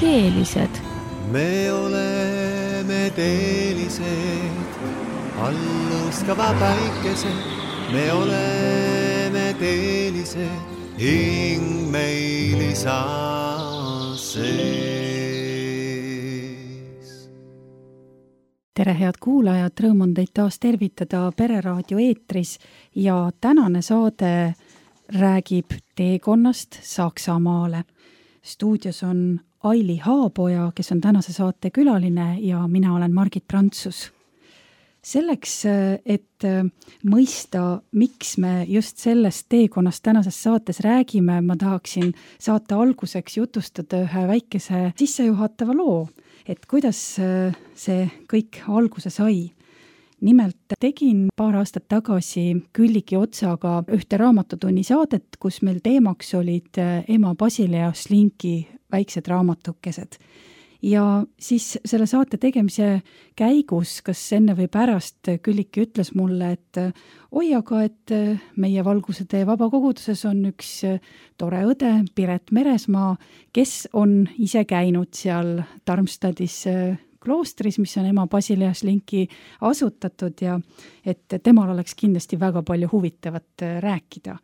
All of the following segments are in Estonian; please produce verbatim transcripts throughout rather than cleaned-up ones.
teelised. Me oleme teelised, allustava päikesed. Me oleme teelised, hing meil isa sees. Tere head kuulajad, rõõm on teid taas tervitada Pereraadio eetris ja tänane saade räägib teekonnast Saksamaale. Stuudios on Aili Haapoja, kes on tänase saate külaline ja mina olen Margit Prantsus. Selleks, et mõista, miks me just sellest teekonnast tänases saates räägime, ma tahaksin saate alguseks jutustada ühe väikese sissejuhatava loo, et kuidas see kõik alguse sai. Nimelt tegin paar aastat tagasi Külliki Otsaga ühte raamatutunni saadet, kus meil teemaks olid ema Basilea Slinki väiksed raamatukesed. Ja siis selle saate tegemise käigus, kas enne või pärast, Külliki ütles mulle, et oi, aga et meie Valguse vabakoguduses on üks tore õde, Piret Meresmaa, kes on ise käinud seal Darmstadtis kloostris, mis on ema Basilea Slinki asutatud ja et temal oleks kindlasti väga palju huvitavat rääkida.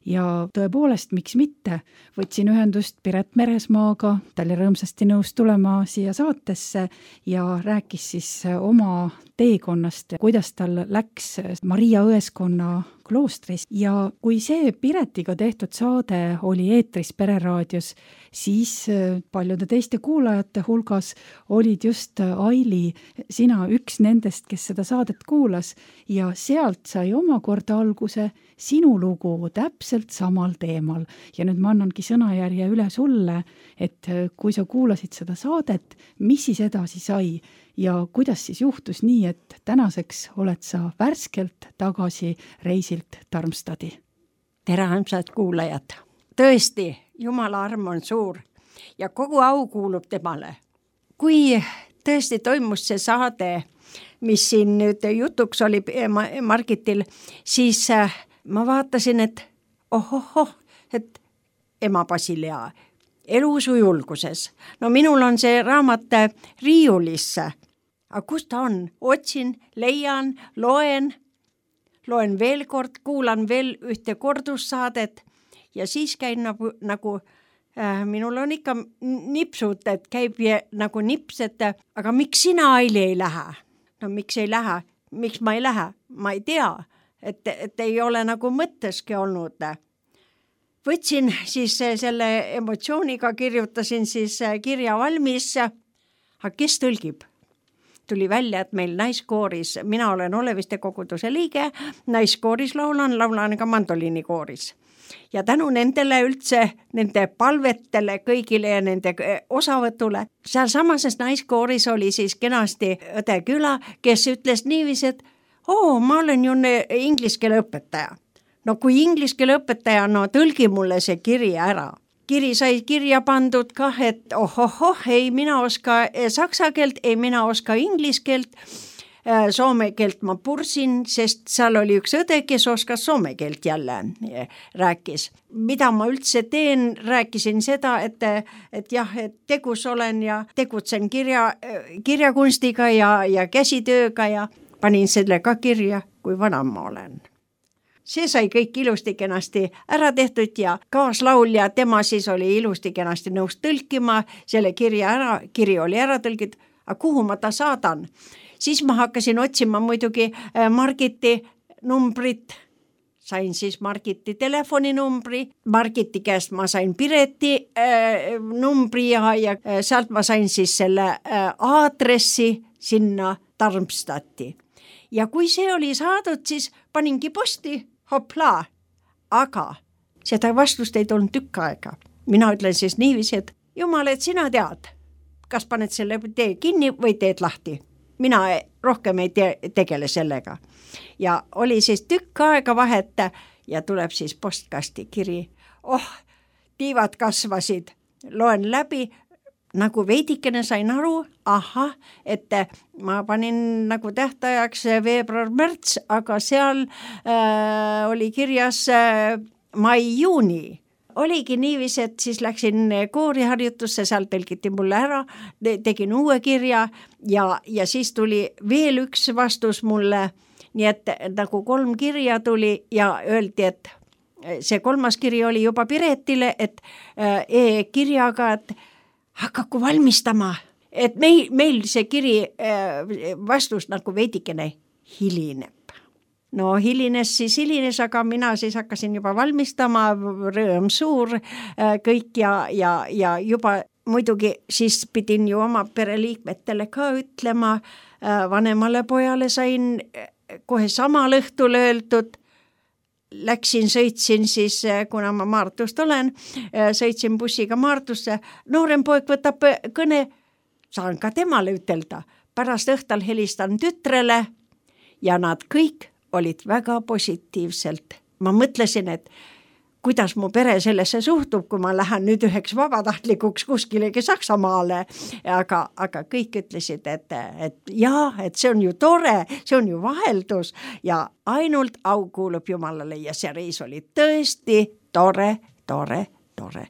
Ja tõepoolest, miks mitte, võtsin ühendust Piret Meresmaaga, ta oli rõõmsasti nõus tulema siia saatesse ja rääkis siis oma teekonnast, kuidas tal läks Maria Õeskonna kloostris. Ja kui see Piretiga tehtud saade oli eetris Pereraadios, siis paljude teiste kuulajate hulgas olid just Aili, sina üks nendest, kes seda saadet kuulas ja sealt sai omakorda alguse sinu lugu täpselt samal teemal. Ja nüüd ma annangi sõnajärje üle sulle, et kui sa kuulasid seda saadet, mis siis edasi sai ja kuidas siis juhtus nii, et tänaseks oled sa värskelt tagasi reisilt Darmstadti. Tere armsad kuulajad. Tõesti, Jumala arm on suur ja kogu au kuulub temale. Kui tõesti toimus see saade, mis siin nüüd jutuks oli Margitil, siis ma vaatasin, et ohohoh, et ema Basilea elusu julguses. No minul on see raamat riiulisse. Aga kus ta on? Otsin, leian, loen, loen veel kord, kuulan veel ühte kordussaadet ja siis käin nagu, nagu äh, minul on ikka nipsud, et käib nagu nips, et aga miks sina, Aili, ei lähe? No miks ei lähe? Miks ma ei lähe? Ma ei tea, et, et ei ole nagu mõtteski olnud. Võtsin siis selle emotsiooniga, kirjutasin siis kirja valmis, aga kes tõlgib? Tuli välja, et meil naiskooris, mina olen Oleviste koguduse liige, naiskooris laulan, laulan ka mandoliinikooris. Ja tänu nendele üldse, nende palvetele kõigile ja nende osavõtule, seal samases naiskooris oli siis kenasti õde Küla, kes ütles niiviisi, et oo, ma olen ju inglise keele õpetaja. No kui inglise keele õpetaja, no tõlgi mulle see kiri ära. Kiri sai kirja pandud kah, et ohohoh, ei mina oska saksa keelt, ei mina oska inglise keelt, soome keelt ma pursin, sest seal oli üks õde, kes oskas soome keelt jälle rääkis. Mida ma üldse teen, rääkisin seda, et, et jah, et tegus olen ja tegutsen kirja, kirjakunstiga ja, ja käsitööga ja panin selle ka kirja, kui vana ma olen. See sai kõik ilusti kenasti ära tehtud ja kaaslaulja, tema siis oli ilusti kenasti nõus tõlkima, selle kirja ära, kiri oli ära tõlgid, aga kuhu ma ta saadan? Siis ma hakkasin otsima muidugi Margiti numbrit, sain siis Margiti telefoninumbri, Margiti käest ma sain Pireti äh, numbri ja, ja sealt ma sain siis selle äh, aadressi sinna Darmstadti. Ja kui see oli saadud, siis paningi posti, hoplaa, aga seda vastust ei tulnud tükk aega. Mina ütlen siis niiviisi, et Jumal, et sina tead, kas paned selle tee kinni või teed lahti. Mina rohkem ei te- tegele sellega. Ja oli siis tükk aega vahet ja tuleb siis postkasti kiri. Oh, tiivad kasvasid, loen läbi, nagu veidikene sain aru, aha, et ma panin nagu tähtajaks veebruar-märts, aga seal äh, oli kirjas äh, mai-juuni. oligi niiviisi, et siis läksin kooriharjutusse, seal tõlgiti mulle ära, tegin uue kirja ja, ja siis tuli veel üks vastus mulle, nii et nagu kolm kirja tuli ja öeldi, et see kolmas kiri oli juba Piretile, et e-kirjaga, et hakaku valmistama, et meil, meil see kiri vastus nagu veidikene hilineb. No hilines siis hilines, aga mina siis hakkasin juba valmistama, rõõm suur kõik ja, ja, ja juba muidugi siis pidin ju oma pereliikmetele ka ütlema, vanemale pojale sain kohe samal õhtul öeldud, läksin, sõitsin siis, kuna ma Maardust olen, sõitsin bussiga Maardusse, noorem poeg võtab kõne, saan ka temale ütelda, pärast õhtal helistan tütrele ja nad kõik olid väga positiivselt. Ma mõtlesin, et kuidas mu pere sellesse suhtub, kui ma lähen nüüd üheks vabatahtlikuks kuskilegi Saksamaale, aga, aga kõik ütlesid, et, et jaa, et see on ju tore, see on ju vaheldus ja ainult au kuulub Jumalale ja see reis oli tõesti tore, tore, tore.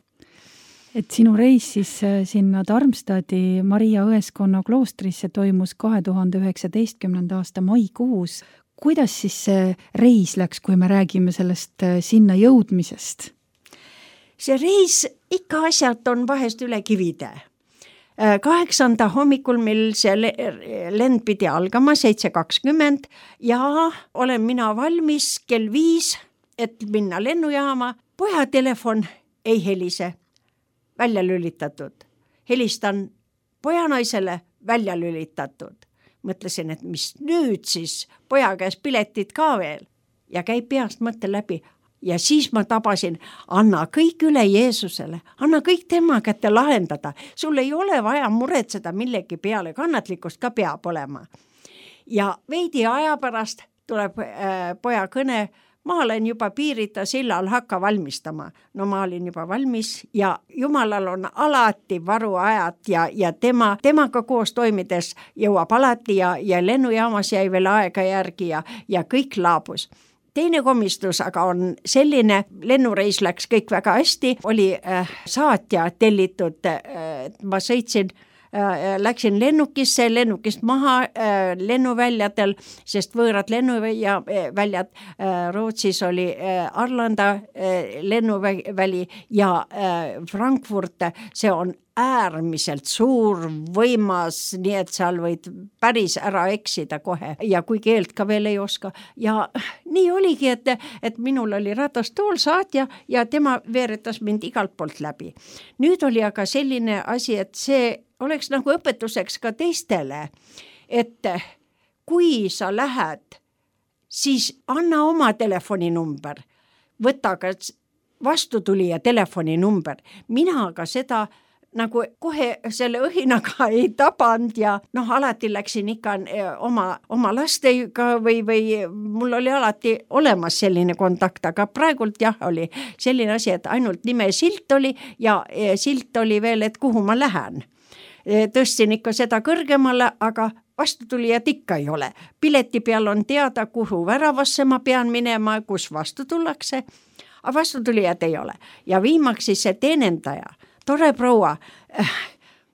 Et sinu reis siis sinna Darmstadi Maria Õeskonna kloostrisse toimus kahe tuhande üheksateistkümnenda aasta maikuus. Kuidas siis see reis läks, kui me räägime sellest sinna jõudmisest? See reis ikka asjalt on vahest üle kivide. Kaheksanda hommikul, mil see lend pidi algama, seitse kakskümmend ja olen mina valmis kell viis, et minna lennujaama. Poja telefon ei helise, välja lülitatud. Helistan pojanaisele, välja lülitatud. Mõtlesin, et mis nüüd siis, poja käes piletid ka veel ja käib peast mõtte läbi ja siis ma tabasin, anna kõik üle Jeesusele, anna kõik tema kätte lahendada, sul ei ole vaja muretseda millegi peale, kannatlikkust ka peab olema. Ja veidi aja pärast tuleb äh, poja kõne, ma olen juba Piirita sillal, hakka valmistama. No ma olin juba valmis ja Jumalal on alati varuajad ja, ja tema, temaga koos toimides jõuab alati ja, ja lennujaamas jäi veel aega järgi ja, ja kõik laabus. Teine komistus aga on selline, lennureis läks kõik väga hästi, oli äh, saatja tellitud, äh, ma sõitsin läksin lennukisse, lennukist maha äh, lennuväljadel, sest võõrad lennuväljad äh, Rootsis oli äh, Arlanda äh, lennuväli ja äh, Frankfurt, see on äärmiselt suur, võimas, nii et seal võid päris ära eksida kohe ja kui keelt ka veel ei oska. Ja nii oligi, et, et minul oli ratastool saatja ja tema veeretas mind igalt poolt läbi. Nüüd oli aga selline asi, et see oleks nagu õpetuseks ka teistele, et kui sa lähed, siis anna oma telefoninumber, võta ka vastutulija telefoninumber. Mina aga seda nagu kohe selle õhinaga ei tabanud ja noh, alati läksin ikka oma, oma lastega või, või mul oli alati olemas selline kontakt, aga praegult jah, oli selline asi, et ainult nime silt oli ja silt oli veel, et kuhu ma lähen. Tõstsin ikka seda kõrgemale, aga vastutulijad ikka ei ole. Pileti peal on teada, kuhu väravasse ma pean minema, kus vastu tullakse, aga vastutulijad ei ole. Ja viimaks siis see teenendaja, tore proua,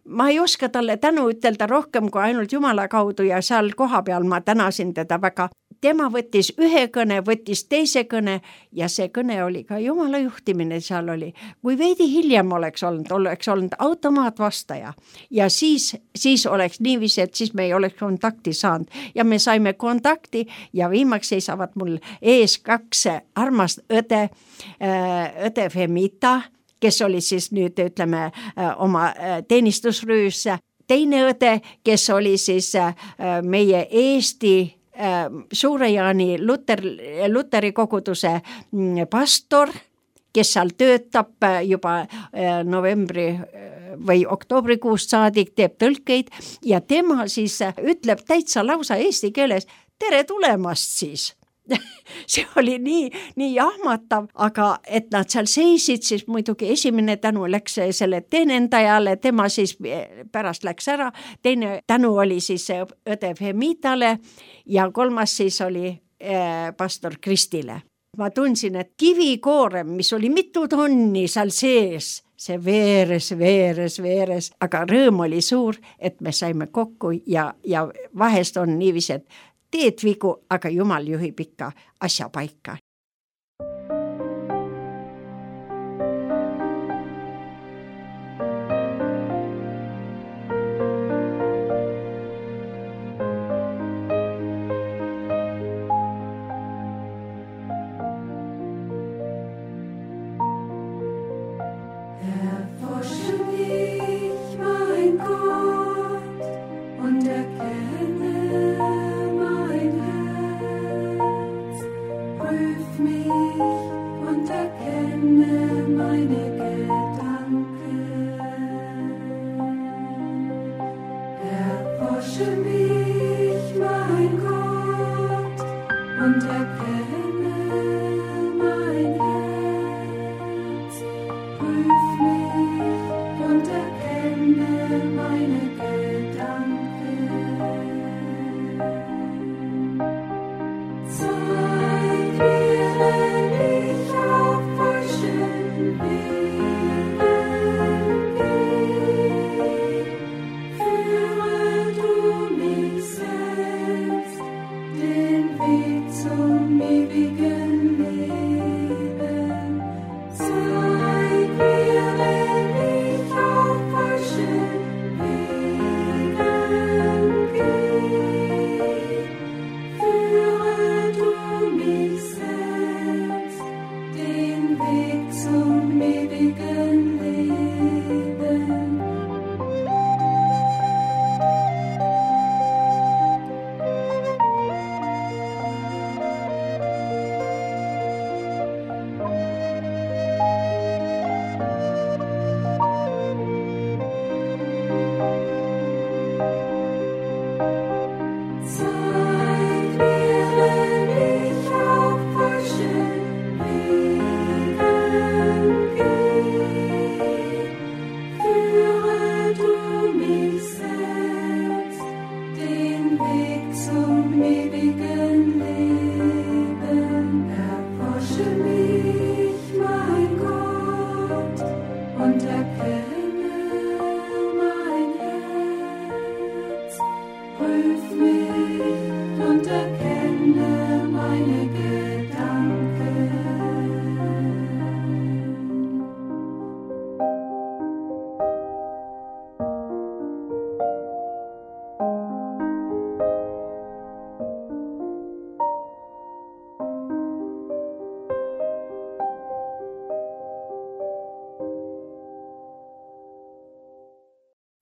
ma ei oska talle tänu ütelda rohkem kui ainult Jumala kaudu ja seal koha peal ma tänasin teda väga. Tema võttis ühe kõne, võttis teise kõne ja see kõne oli ka Jumala juhtimine seal oli. Kui veidi hiljem oleks olnud, oleks olnud automaatvastaja ja siis, siis oleks niiviisi, et siis me ei oleks kontakti saanud ja me saime kontakti ja viimaks seisavad mul ees kaks armast õde, õde Femita, kes oli siis nüüd, ütleme, oma teenistusrüüs, teine õde, kes oli siis meie Eesti Suure-Jaani Luter, Luteri koguduse pastor, kes seal töötab juba novembri või oktoobrikuust saadik, teeb tõlkeid ja tema siis ütleb täitsa lausa eesti keeles, tere tulemast siis. See oli nii, nii jahmatav, aga et nad seal seisid, siis muidugi esimene tänu läks selle teenendajale, tema siis pärast läks ära, teine tänu oli siis õde Femitale ja kolmas siis oli äh, pastor Kristile. ma tundsin, et kivikoorem, mis oli mitu tonni seal sees, see veeres, veeres, veeres, aga rõõm oli suur, et me saime kokku ja, ja vahest on niiviisi, et teed vigu, aga Jumal juhib ikka asja paika.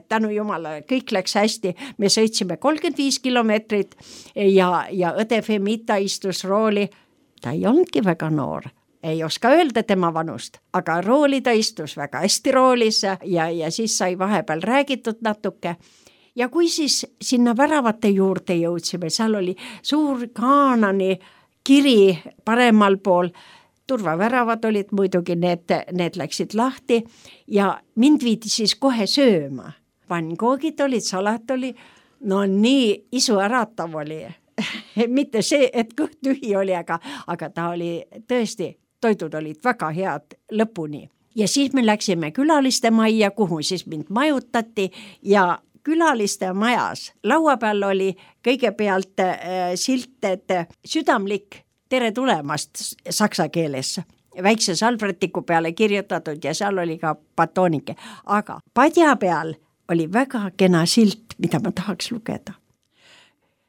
Tänu Jumalale, kõik läks hästi, me sõitsime kolmkümmend viis kilomeetrit ja, ja õde Femita istus rooli, ta ei olnudki väga noor, ei oska öelda tema vanust, aga rooli ta istus väga hästi roolis ja, ja siis sai vahepeal räägitud natuke. Ja kui siis sinna väravate juurde jõudsime, seal oli suur Kaanani kiri paremal pool, turvaväravad olid muidugi, need, need läksid lahti ja mind viidi siis kohe sööma. Pannkoogid olid, salat oli, no nii isuäratav oli. Mitte see, et kõht tühi oli, aga, aga ta oli tõesti, toidud olid väga head lõpuni. Ja siis me läksime külaliste majja, kuhu siis mind majutati ja külaliste majas laua peal oli kõigepealt äh, silt, et südamlik tere tulemast saksa keeles. Väikse salvretiku peale kirjutatud ja seal oli ka batoonike, aga padja peal oli väga kena silt, mida ma tahaks lugeda.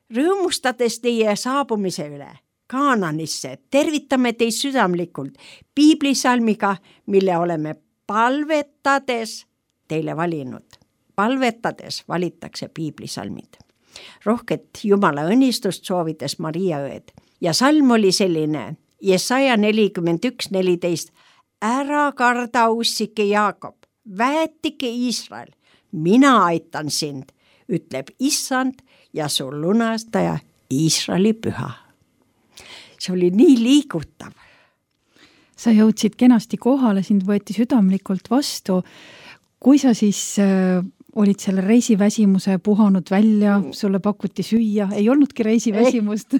Rõõmustades teie saabumise üle Kaananisse, tervitame teid südamlikult piiblisalmiga, mille oleme palvetades teile valinud. Palvetades valitakse piiblisalmid. Rohket Jumala õnnistust soovides Maria õed. Ja salm oli selline, Jesaja nelikümmend üks neliteist, ära karda ussike Jaakob, väetike Iisrael, mina aitan sind, ütleb Issand ja su lunastaja Iisraeli püha. See oli nii liigutav. Sa jõudsid kenasti kohale, sind võeti südamlikult vastu. Kui sa siis äh, olid selle reisiväsimuse puhanud välja, sulle pakuti süüa, ei olnudki reisiväsimust?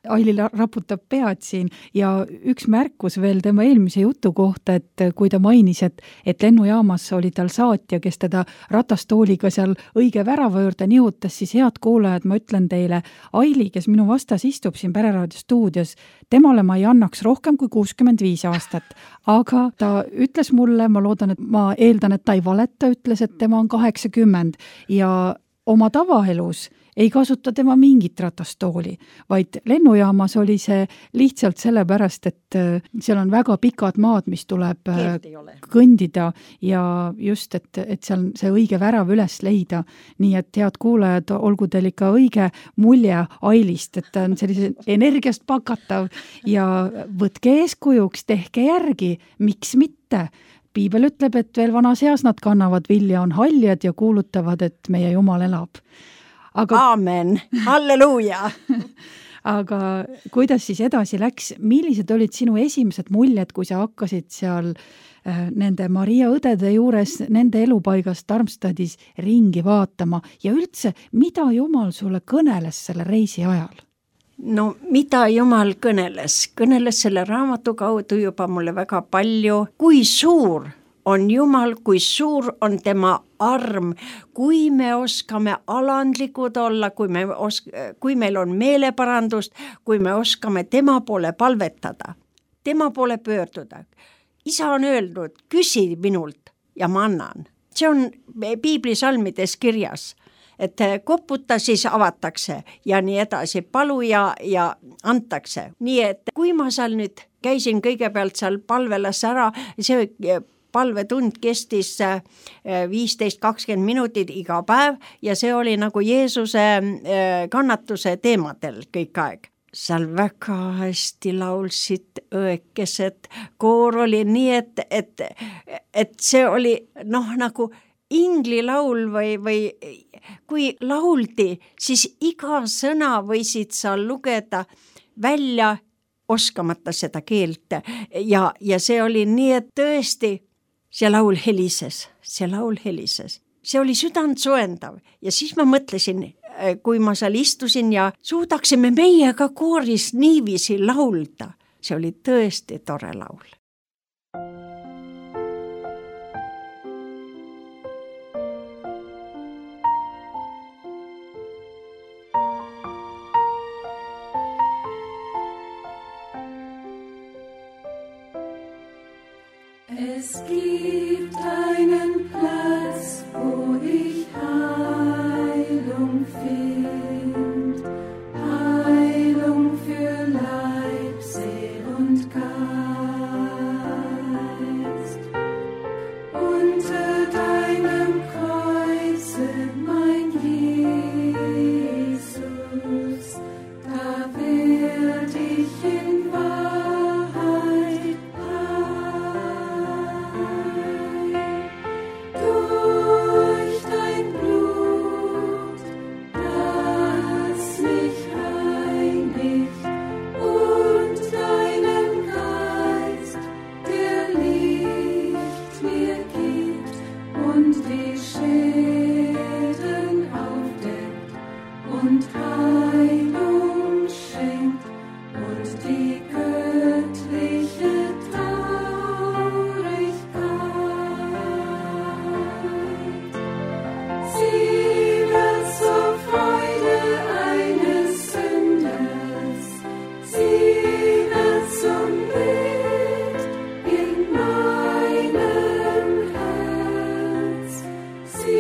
Aili raputab pead siin ja üks märkus veel tema eelmise jutu kohta, et kui ta mainis, et, et lennujaamas oli tal saatja, kes teda ratastooliga seal õige värava juurde nihutas, siis head kuulajad, ma ütlen teile, Aili, kes minu vastas istub siin Pereraadio stuudios, temale ma ei annaks rohkem kui kuuskümmend viis aastat, aga ta ütles mulle, ma loodan, et ma eeldan, et ta ei valeta, ütles, et tema on kaheksakümmend ja oma tavaelus ei kasuta tema mingit ratastooli, vaid lennujaamas oli see lihtsalt sellepärast, et seal on väga pikad maad, mis tuleb kõndida ja just, et, et seal see õige värav üles leida. Nii et head kuulajad, olgu teil ikka õige mulje Ailist, et ta on sellise energiast pakatav ja võtke eeskujuks, tehke järgi, miks mitte. Piibel ütleb, et veel vanas eas nad kannavad vilja, on haljad ja kuulutavad, et meie Jumal elab. Aga, Aamen, halleluuja! Aga kuidas siis edasi läks? Millised olid sinu esimesed muljed, kui sa hakkasid seal äh, nende Maria õdede juures, nende elupaigas Darmstadis ringi vaatama ja üldse, mida Jumal sulle kõneles selle reisi ajal? No mida Jumal kõneles? Kõneles selle raamatu kaudu juba mulle väga palju. Kui suur on Jumal, kui suur on tema arm, kui me oskame alandlikud olla, kui, me osk- kui meil on meeleparandust, kui me oskame tema poole palvetada, tema poole pöörduda. Isa on öelnud, küsi minult ja ma annan. See on piiblisalmides kirjas, et koputa, siis avatakse ja nii edasi, palu ja, ja antakse. Nii et kui ma seal nüüd käisin kõigepealt seal palvelas ära, see palvetund kestis viisteist kakskümmend minutit iga päev ja see oli nagu Jeesuse kannatuse teemadel kõik aeg. Seal väga hästi laulsid õekesed, koor oli nii, et, et, et see oli noh nagu inglilaul või, või kui lauldi, siis iga sõna võisid sa lugeda välja oskamata seda keelt ja, ja see oli nii, et tõesti see laul helises, see laul helises. See oli südant soendav ja siis ma mõtlesin, kui ma seal istusin ja suudaksime meiega kooris niiviisi laulda. See oli tõesti tore laul. Es gibt einen Platz, wo ich Heilung find, Heilung für Leib, Seel und Geist. Unter deinem Kreuze, mein Jesus, da werd ich in Wahrheit durch dein Blut, das mich reinigt, und deinen Geist, der Licht mir gibt und die Schäden aufdeckt und Heilung schenkt und die göttliche Traurigkeit. Sie wird zur Freude eines Sünders, sie wird zum Bild in meinem Herz, sie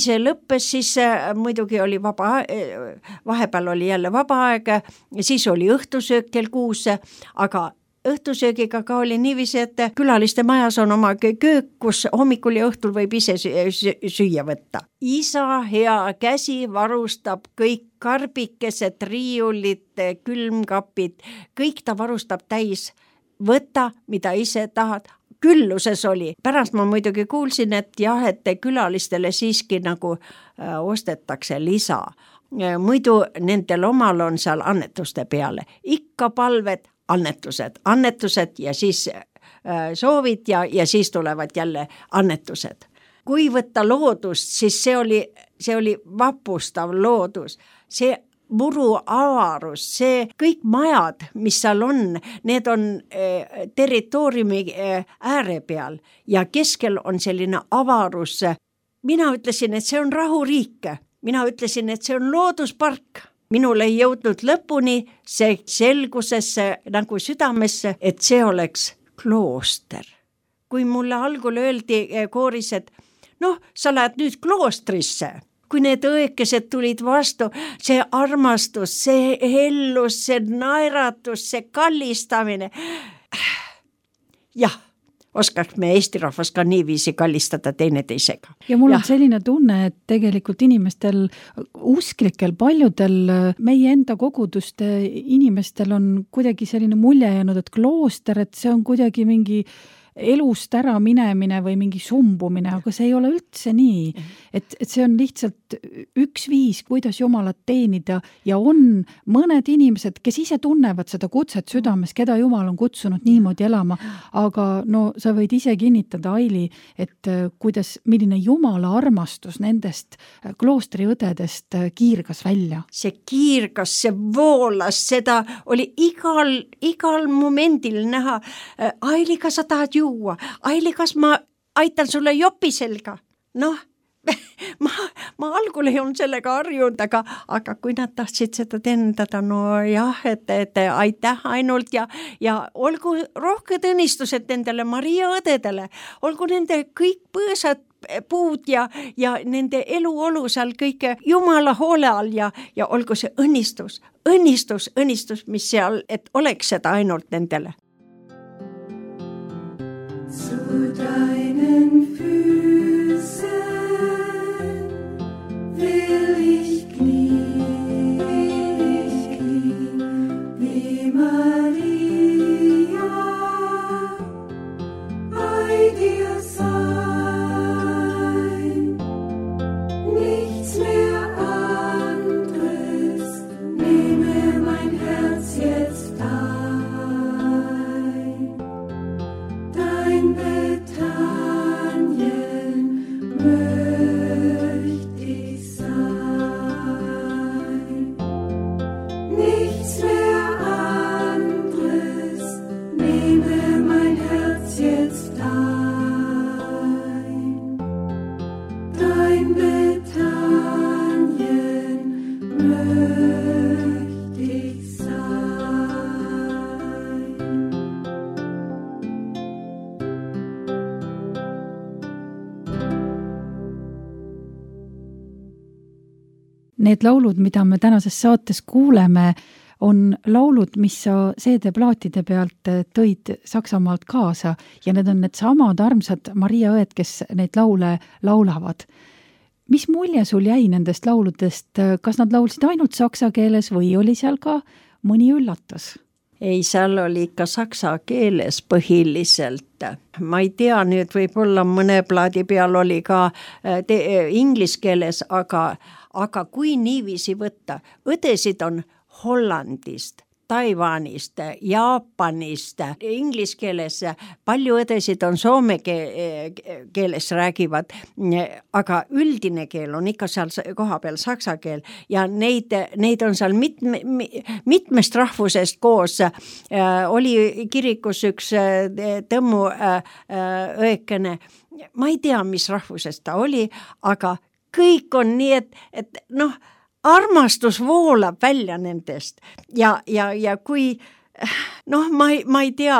see lõppes, siis muidugi oli vaba, vahepeal oli jälle vaba aeg, siis oli õhtusöök kell kuus, aga õhtusöögiga ka oli niiviisi, et külaliste majas on oma köök, kus hommikul ja õhtul võib ise süüa võtta. Isa hea käsi varustab kõik karbikesed, riiulid, külmkapid, kõik ta varustab täis. Võta, mida ise tahad. Külluses oli. Pärast ma muidugi kuulsin, et jah, et külalistele siiski nagu äh, ostetakse lisa. Muidu nendel omal on seal annetuste peale. Ikka palved, annetused, annetused ja siis äh, soovid ja, ja siis tulevad jälle annetused. Kui võtta loodust, siis see oli, see oli vapustav loodus. See muru avarus, see kõik majad, mis seal on, need on eh, territooriumi eh, ääre peal ja keskel on selline avarus. Mina ütlesin, et see on rahuriik. Mina ütlesin, et see on looduspark. Minul ei jõudnud lõpuni see selgusesse nagu südamesse, et see oleks klooster. Kui mulle algul öeldi kooris, et noh, sa lähed nüüd kloostrisse. Kui need õekesed tulid vastu, see armastus, see hellus, see naeratus, see kallistamine. Jah, oskaks me Eesti rahvas ka niiviisi kallistada teineteisega. Ja mul ja. on selline tunne, et tegelikult inimestel, usklikel, paljudel meie enda koguduste inimestel on kuidagi selline mulje jäänud, et klooster, et see on kuidagi mingi elust ära minemine või mingi sumbumine, aga see ei ole üldse nii, et, et see on lihtsalt üks viis, kuidas Jumalat teenida ja on mõned inimesed, kes ise tunnevad seda kutset südames, keda Jumal on kutsunud niimoodi elama, aga no sa võid ise kinnitada, Aili, et kuidas, milline Jumala armastus nendest kloostriõdedest kiirgas välja. See kiirgas, see voolas, seda oli igal, igal momendil näha. Aili, kas sa tahad juua? Aili, kas ma aitan sulle jopi selga? Noh, ma, ma algul ei olnud sellega harjunud, aga, aga kui nad tahtsid seda tendada, no jah, et, et aitäh ainult ja, ja olgu rohked õnnistused nendele Maria õdedele, olgu nende kõik põõsad puud ja, ja nende eluolu seal kõike Jumala hoole all ja, ja olgu see õnnistus, õnnistus, õnnistus, mis seal, et oleks seda ainult nendele. Zu deinen Füßen will ich knien, ich knien, wie Maria bei dir sein. Nichts mehr anderes nehme mein Herz jetzt ein. Dein Bethanien möcht ich sein. Nichts mehr anderes nehme mein Herz jetzt ein. Dein Bethanien möcht ich sein. Need laulud, mida me tänases saates kuuleme, on laulud, mis sa C D-plaatide pealt tõid Saksamaalt kaasa ja need on need samad armsad Maria õed, kes neid laule laulavad. Mis mulje sul jäi nendest lauludest? Kas nad laulsid ainult saksa keeles või oli seal ka mõni üllatus? Ei, seal oli ikka saksa keeles põhiliselt. Ma ei tea, nüüd võib-olla mõne plaadi peal oli ka te, inglis keeles, aga, aga kui niiviisi võtta, õdesid on Hollandist, Taiwanist, Jaapanist, inglis keeles, palju õdesid on soome keeles räägivad, aga üldine keel on ikka seal koha peal saksa keel ja neid, neid on seal mitme, mitmest rahvusest koos. Oli kirikus üks tõmmu õekene, ma ei tea, mis rahvusest ta oli, aga kõik on nii, et, et noh, armastus voolab välja nendest ja, ja, ja kui noh, ma ei, ma ei tea,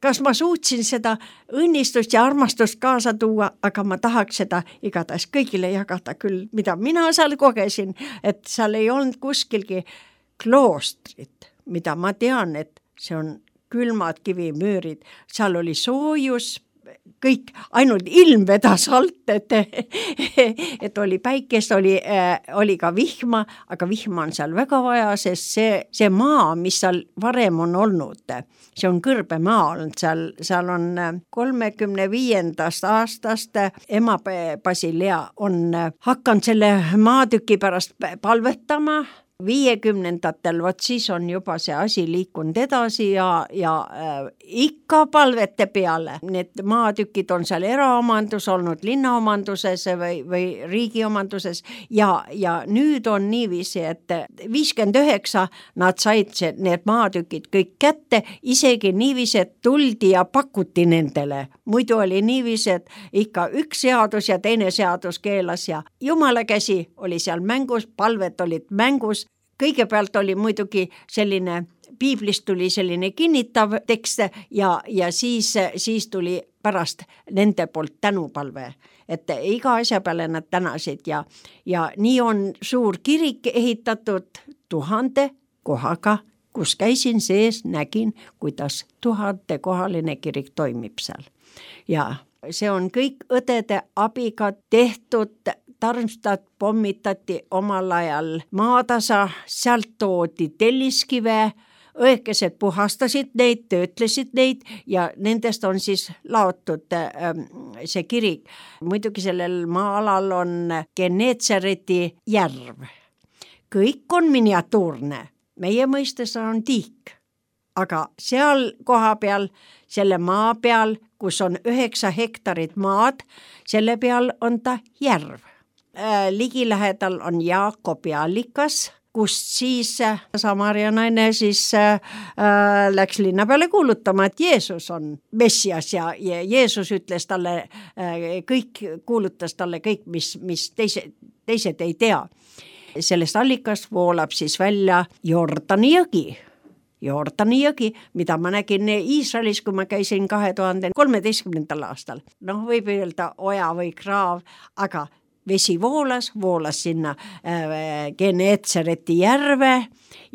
kas ma suutsin seda õnnistust ja armastust kaasa tuua, aga ma tahaks seda igatahes kõigile jagada küll, mida mina seal kogesin, et seal ei olnud kuskilgi kloostrit, mida ma tean, et see on külmad kivimüürid, seal oli soojus, kõik, ainult ilm vedas alt, et, et oli päikest, oli, oli ka vihma, aga vihma on seal väga vaja, sest see, see maa, mis seal varem on olnud, see on kõrbemaa olnud, seal, seal on kolmekümne viiendast aastast ema Basilea on hakanud selle maatüki pärast palvetama, viiekümnendatel, vot siis on juba see asi liikunud edasi ja, ja äh, ikka palvete peale. Need maatükid on seal eraomandus olnud, linnaomanduses või, või riigiomanduses ja, ja nüüd on niiviisi, et viiskümmend üheksa nad said see, need maatükid kõik kätte, isegi niiviisi, et tuldi ja pakuti nendele. Muidu oli niiviisi, et ikka üks seadus ja teine seadus keelas ja jumala käsi oli seal mängus, palvet olid mängus. Kõigepealt oli muidugi selline, piiblist tuli selline kinnitav tekst ja, ja siis, siis tuli pärast nende poolt tänupalve, et iga asja peale nad tänasid ja, ja nii on suur kirik ehitatud tuhande kohaga, kus käisin sees, nägin, kuidas tuhande kohaline kirik toimib seal. Ja see on kõik õdede abiga tehtud. Tarmstad pommitati omal ajal maatasa, sealt toodi telliskive, õekesed puhastasid neid, töötlesid neid ja nendest on siis laotud ähm, see kirik. Muidugi sellel maa-alal on Geneetsareti järv. Kõik on miniatuurne, meie mõistes on tiik, aga seal koha peal, selle maa peal, kus on üheksa hektarit maad, selle peal on ta järv. Ligilähedal on Jaakobi allikas, kust siis Samaria naine siis äh, läks linna peale kuulutama, et Jeesus on Messias ja, ja Jeesus ütles talle äh, kõik, kuulutas talle kõik, mis, mis teise, teised ei tea. Sellest allikast voolab siis välja Jordani jõgi. Jordani jõgi, mida ma nägin Iisraelis, kui ma käisin kahe tuhande kolmeteistkümnendal aastal. Noh, võib öelda oja või kraav, aga vesi voolas, voolas sinna äh, Geneetsareti järve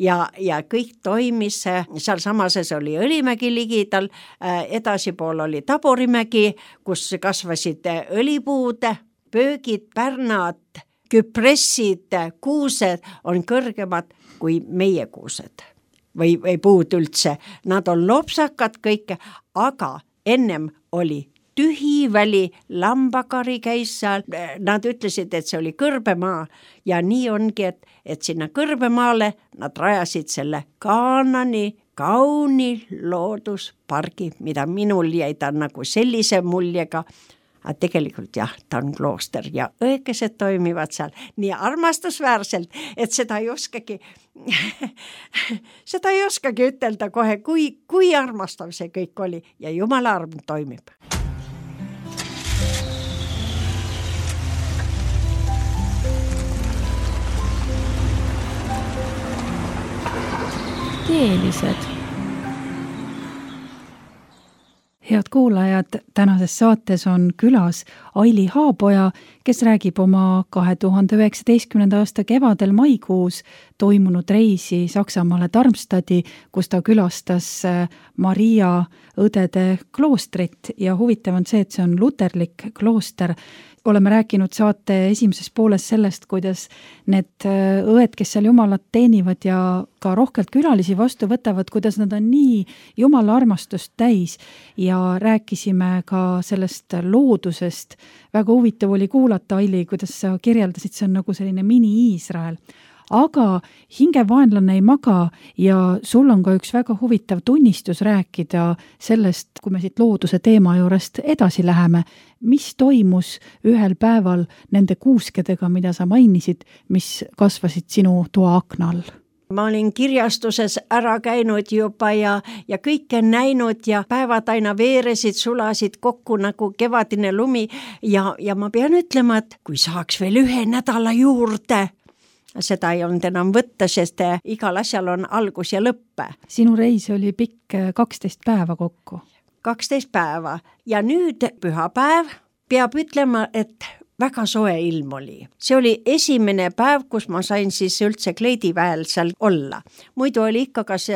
ja, ja kõik toimis, seal samases oli Õlimägi ligidal, äh, edasipool oli Taborimägi, kus kasvasid õlipuud, pöögid, pärnad, küpressid, kuused on kõrgemad kui meie kuused või, või puud üldse. Nad on lopsakad kõik, aga ennem oli tühi väli, lambakari käis seal, nad ütlesid, et see oli kõrbemaa ja nii ongi, et, et sinna kõrbemaale nad rajasid selle Kaanani kauni looduspargi, mida minul jäi ta nagu sellise muljega, aga tegelikult jah, ta on klooster ja õekesed toimivad seal nii armastusväärselt, et seda ei oskagi seda ei oskagi ütelda kohe, kui, kui armastav see kõik oli ja Jumala arm toimib. Teelised. Head kuulajad, tänases saates on külas Aili Haapoja, kes räägib oma kahe tuhande üheksateistkümnenda aasta kevadel maikuus toimunud reisi Saksamaale Darmstadti, kus ta külastas Maria õdede kloostrit ja huvitav on see, et see on luterlik klooster. Oleme rääkinud saate esimeses pooles sellest, kuidas need õed, kes seal Jumalat teenivad ja ka rohkelt külalisi vastu võtavad, kuidas nad on nii Jumala armastust täis ja rääkisime ka sellest loodusest. Väga huvitav oli kuulata, Aili, kuidas sa kirjeldasid, see on nagu selline mini-Iisrael. Aga hingevaenlane ei maga ja sul on ka üks väga huvitav tunnistus rääkida sellest, kui me siit looduse teema juurest edasi läheme, mis toimus ühel päeval nende kuuskedega, mida sa mainisid, mis kasvasid sinu toa akna all. Ma olin kirjastuses ära käinud juba ja, ja kõike näinud ja päevad aina veeresid, sulasid kokku nagu kevadine lumi ja, ja ma pean ütlema, et kui saaks veel ühe nädala juurde, seda ei olnud enam võtta, sest igal asjal on algus ja lõpp. Sinu reis oli pikk kaksteist päeva kokku. kaksteist päeva ja nüüd pühapäev peab ütlema, et väga soe ilm oli. See oli esimene päev, kus ma sain siis üldse kleidiväel seal olla. Muidu oli ikka kas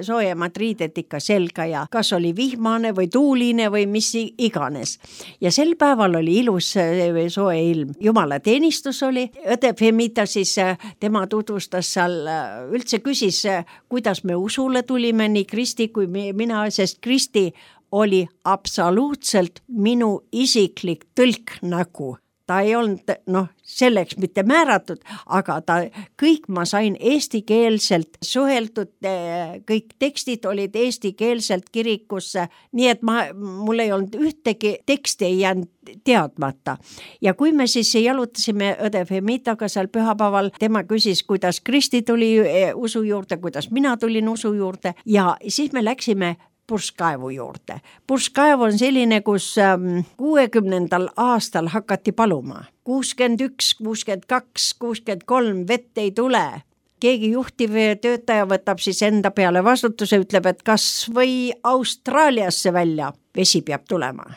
soojemad riided ikka selga ja kas oli vihmane või tuuline või mis iganes. Ja sel päeval oli ilus soe ilm. Jumala teenistus oli. Õde Femita siis tema tutvustas seal, üldse küsis, kuidas me usule tulime, nii Kristi kui mina, sest Kristi oli absoluutselt minu isiklik tõlknägu. Ta ei olnud noh, selleks mitte määratud, aga ta, kõik ma sain eestikeelselt suheldud, kõik tekstid olid eestikeelselt kirikusse, nii et ma, mul ei olnud ühtegi teksti ei jäänud teadmata. Ja kui me siis jalutasime õde Femitaga seal pühapäeval, tema küsis, kuidas Kristi tuli usu juurde, kuidas mina tulin usu juurde ja siis me läksime purskkaevu juurde. Purskkaev on selline, kus kuuekümnendal aastal hakati paluma. kuuskümmend üks, kuuskümmend kaks, kuuskümmend kolm vett ei tule. Keegi juhtiv töötaja võtab siis enda peale vastutuse, ütleb, et kas või Austraaliasse välja vesi peab tulema.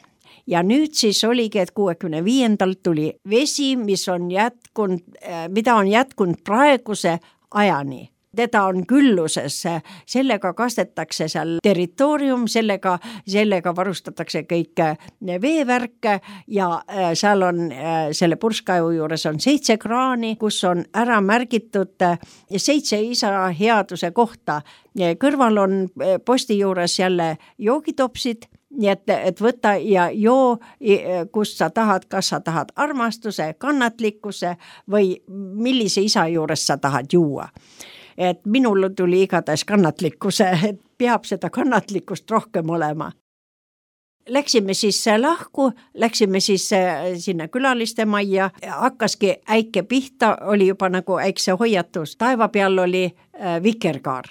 Ja nüüd siis oligi, et kuuekümne viiendal tuli vesi, mis on jätkunud, mida on jätkunud praeguse ajani. Teda on külluses, sellega kastetakse seal territoorium, sellega, sellega varustatakse kõik veevärke ja seal on selle purskkaevu juures on seitse kraani, kus on ära märgitud seitse isa headuse kohta. Kõrval on posti juures jälle joogitopsid, nii et, et võta ja joo, kus sa tahad, kas sa tahad armastuse, kannatlikkuse või millise isa juures sa tahad juua. Et minul tuli igatahes kannatlikkuse, et peab seda kannatlikkust rohkem olema. Läksime siis lahku, läksime siis sinna külaliste majja, hakkaski äike pihta, oli juba nagu äikse hoiatus. Taeva peal oli vikerkaar.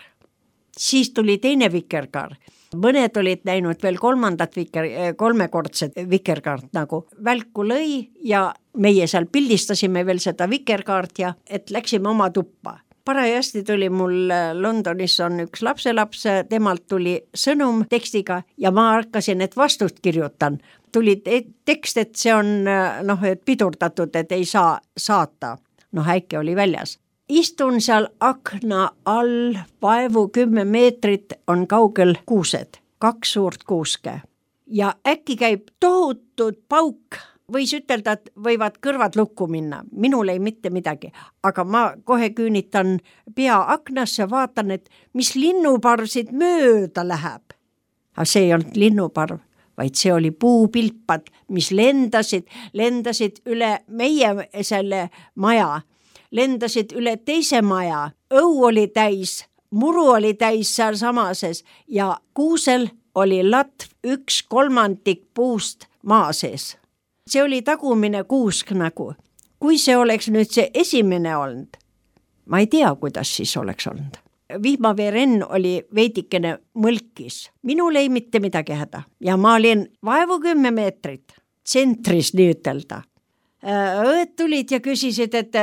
Siis tuli teine vikerkaar. Mõned olid näinud veel kolmandat viker, kolmekordset vikerkaart nagu välku lõi ja meie seal pildistasime veel seda vikerkaart ja et läksime oma tuppa. Parajasti tuli mul Londonis on üks lapselaps, temalt tuli sõnum tekstiga ja ma hakkasin, et vastust kirjutan. Tuli tekst, et see on noh, et pidurdatud, et ei saa saata. Noh, äike oli väljas. Istun seal akna all, vaevu kümme meetrit on kaugel kuused, kaks suurt kuuske. Ja äkki käib tohutud pauk. Võis ütelda, et võivad kõrvad lukku minna. Minul ei mitte midagi, aga ma kohe küünitan pea aknasse, vaatan, et mis linnuparvsid mööda läheb. Aga see ei olnud linnuparv, vaid see oli puupilpad, mis lendasid, lendasid üle meie selle maja, lendasid üle teise maja. Õu oli täis, muru oli täis seal samases ja kuusel oli latv üks kolmandik puust maa sees. See oli tagumine kuusk nagu. Kui see oleks nüüd see esimene olnud, ma ei tea, kuidas siis oleks olnud. Vihmaveerenn oli veidikene mõlkis. Minul ei mitte midagi häda. Ja ma olin vaevu kümme meetrit tsentris nii ütelda. Õed tulid ja küsisid, et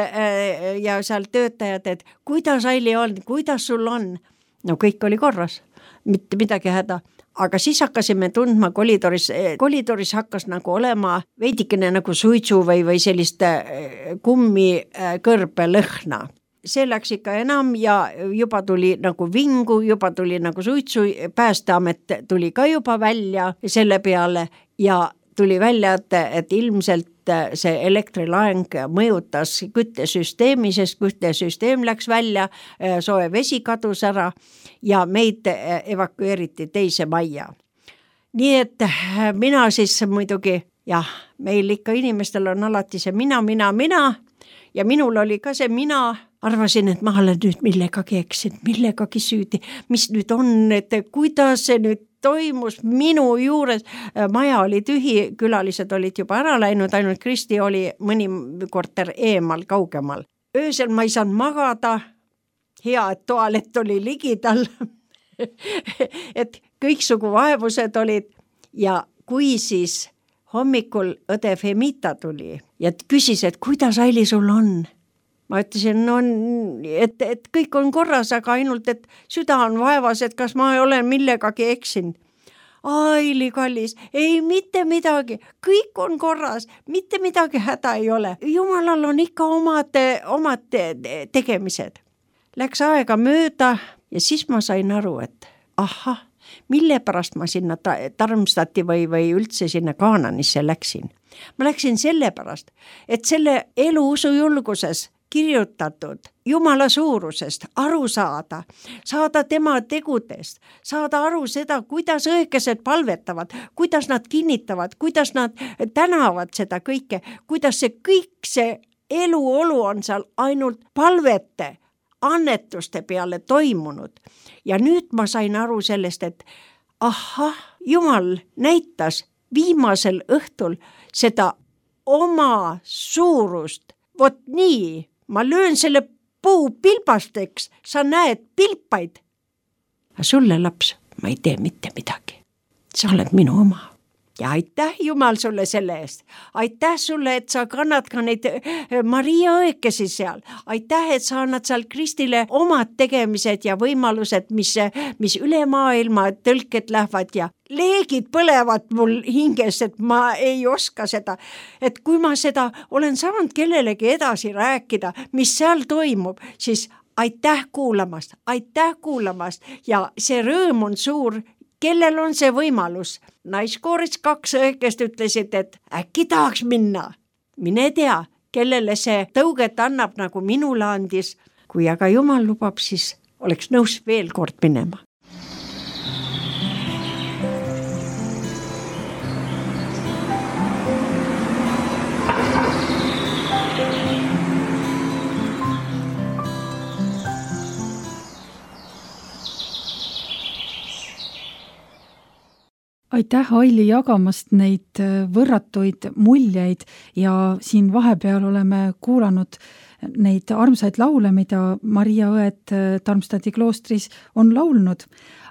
ja seal töötajad, et kuidas Aili on, kuidas sul on? No kõik oli korras, mitte midagi häda. Aga siis hakkasime tundma kolidoris, kolidoris hakkas nagu olema veidikene nagu suitsu või, või sellist kummi kõrbe lõhna. See läks ikka enam ja juba tuli nagu vingu, juba tuli nagu suitsu, Päästeamet tuli ka juba välja selle peale ja tuli välja, et, et ilmselt see elektrilaeng mõjutas küttesüsteemi, sest küttesüsteem läks välja, soe vesi kadus ära ja meid evakueeriti teise majja. Nii et mina siis muidugi, jah, meil ikka inimestel on alati see mina, mina, mina ja minul oli ka see mina, arvasin, et ma olen nüüd millegagi eksinud, millegagi süüdi, mis nüüd on, et kuidas see nüüd toimus minu juures, maja oli tühi, külalised olid juba ära läinud, ainult Kristi oli mõni korter eemal, kaugemal. Öösel ma ei saanud magada, hea, et toalett oli ligidal, et kõiksugu vaevused olid ja kui siis hommikul õde Femita tuli ja küsis, et kuidas Aili sul on? ma ütlesin, no et, et kõik on korras, aga ainult, et süda on vaevas, et kas ma olen millegagi eksinud. Aili kallis, ei mitte midagi, kõik on korras, mitte midagi häda ei ole. Jumalal on ikka omad, omad tegemised. Läks aega mööda ja siis ma sain aru, et ahah, mille pärast ma sinna Tarmstati või, või üldse sinna Kaananisse läksin. Ma läksin selle pärast, et selle eluusu julguses kirjutatud Jumala suurusest aru saada, saada tema tegudest, saada aru seda, kuidas õigesed palvetavad, kuidas nad kinnitavad, kuidas nad tänavad seda kõike, kuidas see kõik see eluolu on seal ainult palvete, annetuste peale toimunud. Ja nüüd ma sain aru sellest, et ahah, Jumal näitas viimasel õhtul seda oma suurust. Vot nii, ma löön selle puu pilbasteks, sa näed pilpaid. Aga sulle, laps, ma ei tee mitte midagi. Sa oled minu oma. Ja aitäh Jumal sulle selle eest. Aitäh sulle, et sa kannad ka neid Maria õekesi seal. Aitäh, et sa annad seal Kristile omad tegemised ja võimalused, mis, mis üle maailma tõlked lähevad ja leegid põlevad mul hinges, et ma ei oska seda. Et kui ma seda olen saanud kellelegi edasi rääkida, mis seal toimub, siis aitäh kuulamast, aitäh kuulamast ja see rõõm on suur. Kellel on see võimalus? Naiskooris kaks õigest ütlesid, et äkki tahaks minna. Mine tea, kellele see tõuget annab, nagu minule andis. Kui aga Jumal lubab, siis oleks nõus veel kord minema. Aitäh, Aili, jagamast neid võrratuid muljeid ja siin vahepeal oleme kuulanud neid armsaid laule, mida Maria õed Tarmstati kloostris on laulnud.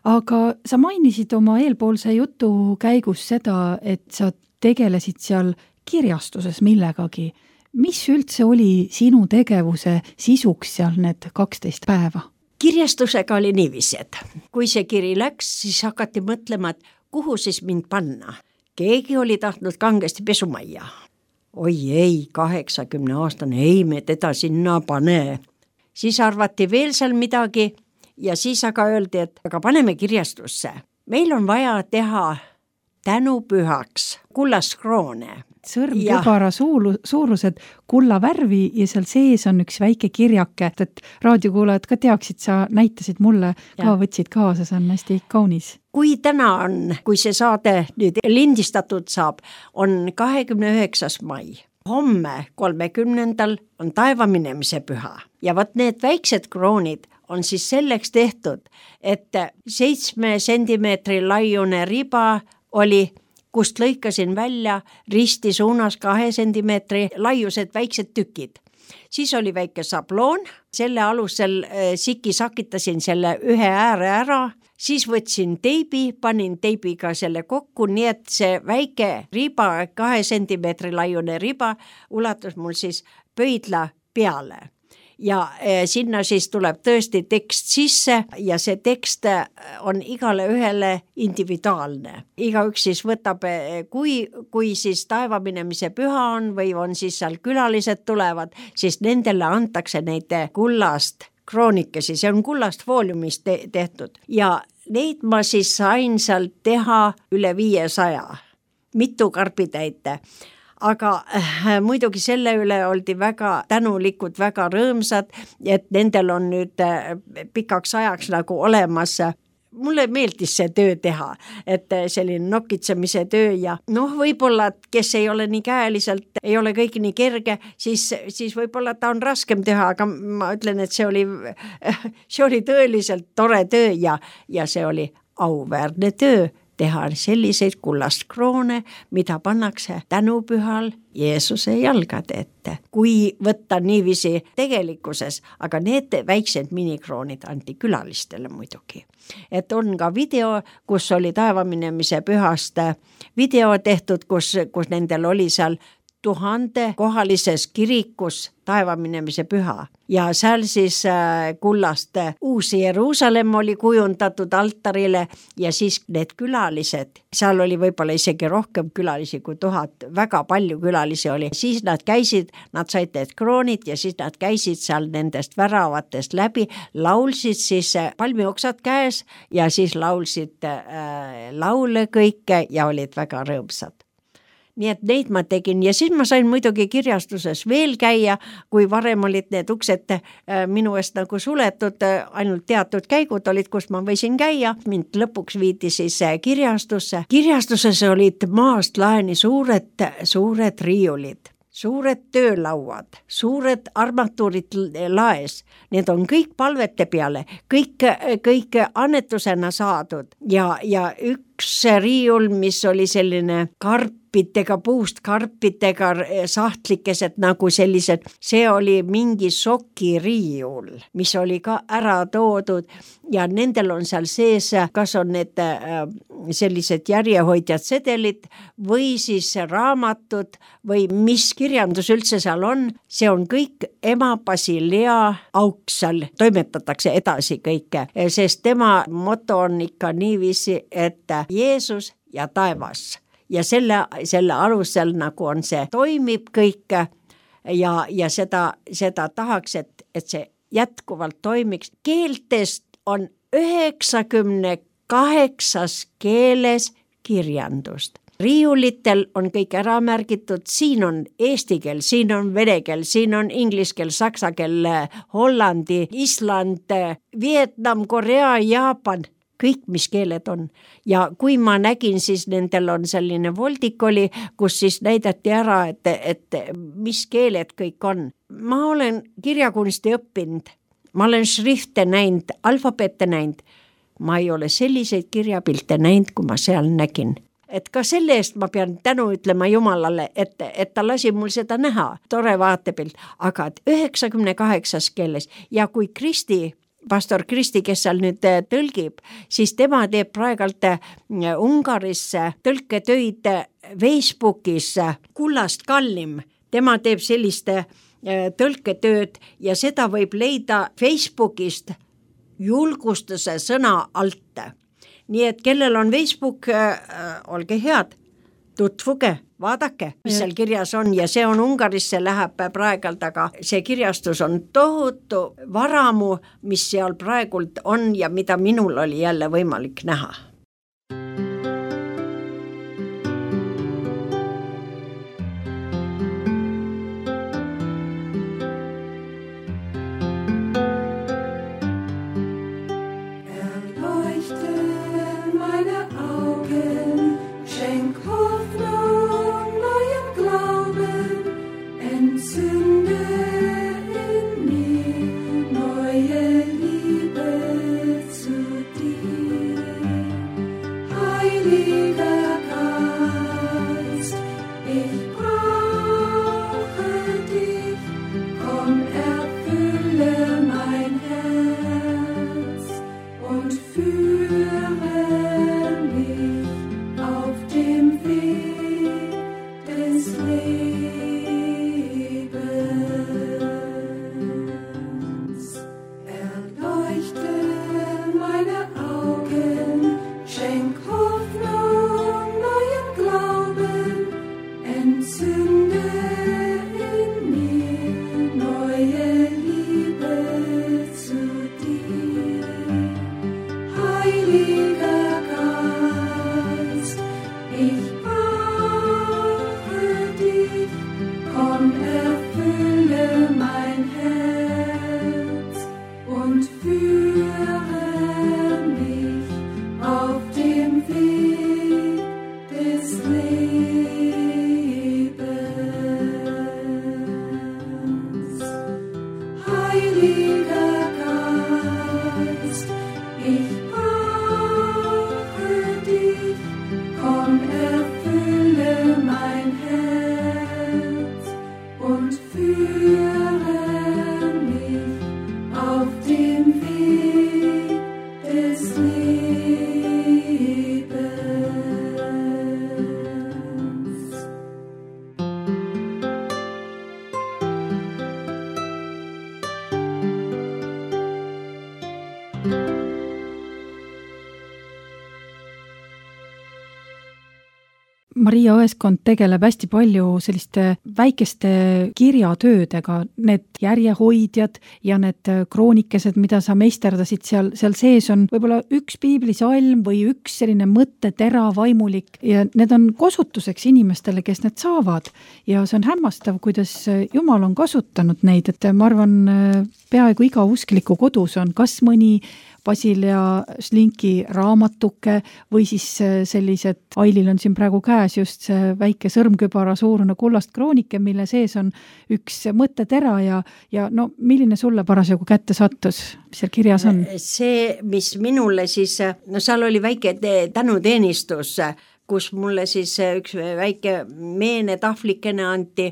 Aga sa mainisid oma eelpoolse jutu käigus seda, et sa tegelesid seal kirjastuses millegagi. Mis üldse oli sinu tegevuse sisuks seal need kaksteist päeva? Kirjastusega oli niiviisi, et kui see kiri läks, siis hakati mõtlema, et kuhu siis mind panna? Keegi oli tahtnud kangesti pesumajja. Oi ei, kaheksakümne aastane, ei me teda sinna pane. Siis arvati veel seal midagi ja siis aga öeldi, et aga paneme kirjastusse. Meil on vaja teha tänupühaks kullaskroone. Sõrmkübara suulu, suurused kulla värvi ja seal sees on üks väike kirjake, et raadiokuulajad ka teaksid, sa näitasid mulle, ka võtsid kaasa, see on hästi kaunis. Kui täna on, kui see saade nüüd lindistatud saab, on kahekümne üheksas mai. Homme kolmekümnendal on taevaminemise püha ja võt need väiksed kroonid on siis selleks tehtud, et seitsme sentimeetri laiune riba oli, kust lõikasin välja risti suunas kahe sentimeetri laiused väiksed tükid. Siis oli väike sabloon, selle alusel siki sakitasin selle ühe ääre ära, siis võtsin teibi, panin teibiga selle kokku, nii et see väike riba, kahe sentimeetri laiune riba ulatus mul siis pöidla peale. Ja sinna siis tuleb tõesti tekst sisse ja see tekst on igale ühele individuaalne. Igaüks siis võtab, kui, kui siis taevaminemise püha on või on siis seal külalised tulevad, siis nendele antakse neid kullast kroonikesi, see on kullast fooliumist te- tehtud ja neid ma siis sain sealt teha üle viiesaja, mitu karbitäite. Aga äh, muidugi selle üle oldi väga tänulikud, väga rõõmsad, et nendel on nüüd äh, pikaks ajaks nagu olemas. Mulle meeldis see töö teha, et selline nokitsemise töö ja noh, võib-olla, kes ei ole nii käeliselt, ei ole kõik nii kerge, siis, siis võib-olla ta on raskem teha, aga ma ütlen, et see oli, see oli tõeliselt tore töö ja, ja see oli auväärne töö. Teha selliseid kullast kroone, mida pannakse tänupühal Jeesuse jalgade ette. Kui võtta niiviisi tegelikkuses, aga need väiksed minikroonid anti külalistele muidugi. Et on ka video, kus oli taevaminemise pühast video tehtud, kus, kus nendel oli seal tuhande kohalises kirikus taevaminemise püha ja seal siis kullast uus Jeruusalemm oli kujundatud altarile ja siis need külalised, seal oli võib-olla isegi rohkem külalisi kui tuhat, väga palju külalisi oli, siis nad käisid, nad said need kroonid ja siis nad käisid seal nendest väravatest läbi, laulsid siis palmioksad käes ja siis laulsid äh, laule kõike ja olid väga rõõmsad. Nii et neid ma tegin ja siis ma sain muidugi kirjastuses veel käia, kui varem olid need uksed minu eest nagu suletud, ainult teatud käigud olid, kus ma võisin käia. Mind lõpuks viidi siis kirjastusse. Kirjastuses olid maast laeni suured, suured riiulid, suured töölauad, suured armatuurid laes. Need on kõik palvete peale, kõik, kõik annetusena saadud ja, ja üks riiul, mis oli selline karp, karpitega, puust karpitega sahtlikesed nagu sellised, see oli mingi sokiriiul, mis oli ka ära toodud ja nendel on seal sees, kas on need sellised järjehoidjad sedelid või siis raamatud või mis kirjandus üldse seal on, see on kõik ema Basilea auksal, toimetatakse edasi kõike, sest tema moto on ikka niiviisi, et Jeesus ja taevas. Ja selle, selle alusel nagu on see, toimib kõik ja, ja seda, seda tahaks, et, et see jätkuvalt toimiks. Keeltest on üheksakümne kaheksas keeles kirjandust. Riiulitel on kõik ära märgitud, siin on eesti keel, siin on vene keel, siin on inglise keel, saksa keel, Hollandi, Island, Vietnam, Korea, Jaapan. Kõik, mis keeled on. Ja kui ma nägin, siis nendel on selline voldik oli, kus siis näidati ära, et, et mis keeled kõik on. Ma olen kirjakunsti õppinud, ma olen šrifte näinud, alfabete näinud. Ma ei ole selliseid kirjapilte näinud, kui ma seal nägin. Et ka selle eest ma pean tänu ütlema Jumalale, et, et ta lasi mul seda näha, tore vaatepilt, aga üheksakümne kaheksas keeles ja kui Kristi pastor Kristi, kes seal nüüd tõlgib, siis tema teeb praegalt Ungarisse tõlketöid Facebookis kullast kallim. Tema teeb selliste tõlketööd ja seda võib leida Facebookist julgustuse sõna alt. Nii et kellel on Facebook, olge head, tutvuge, vaadake, mis seal kirjas on ja see on Ungarisse läheb praegalt, aga see kirjastus on tohutu varamu, mis seal praegult on ja mida minul oli jälle võimalik näha. Heiliger Geist, ich brauche Maria Õeskond tegeleb hästi palju selliste väikeste kirjatöödega, need järjehoidjad ja need kroonikesed, mida sa meisterdasid seal, seal sees on võib-olla üks piiblisalm või üks selline mõttetera vaimulik ja need on kasutuseks inimestele, kes need saavad. Ja see on hämmastav, kuidas Jumal on kasutanud neid, et ma arvan, peaaegu iga uskliku kodus on kas mõni Basilea Šlinki raamatuke või siis sellised, Ailil on siin praegu käes just see väike sõrmkübara suurune kullast kroonike, mille sees on üks mõttetera ja, ja no milline sulle parasjagu kätte sattus, mis seal kirjas on? See, mis minule siis, no seal oli väike tänuteenistus, kus mulle siis üks väike meene tahvlikene anti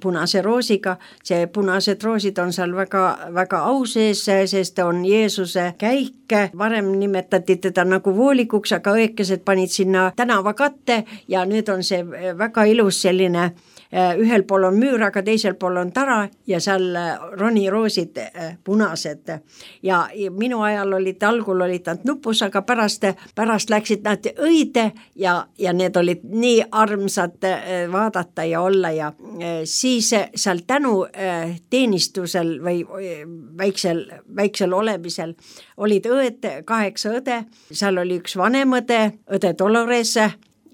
punase roosiga. See punased roosid on seal väga, väga au sees, sest on Jeesuse käik. Varem nimetati teda nagu voolikuks, aga õekesed panid sinna tänava katte ja nüüd on see väga ilus selline, ühel pool on müür, aga teisel pool on tara ja seal roniroosid punased. Ja minu ajal olid, algul olid nad nupus, aga pärast, pärast läksid nad õide ja ja need olid nii armsad vaadata ja olla ja siis seal tänu teenistusel või väiksel, väiksel olemisel olid õed, kaheksa õde, seal oli üks vanem õde, õde Dolores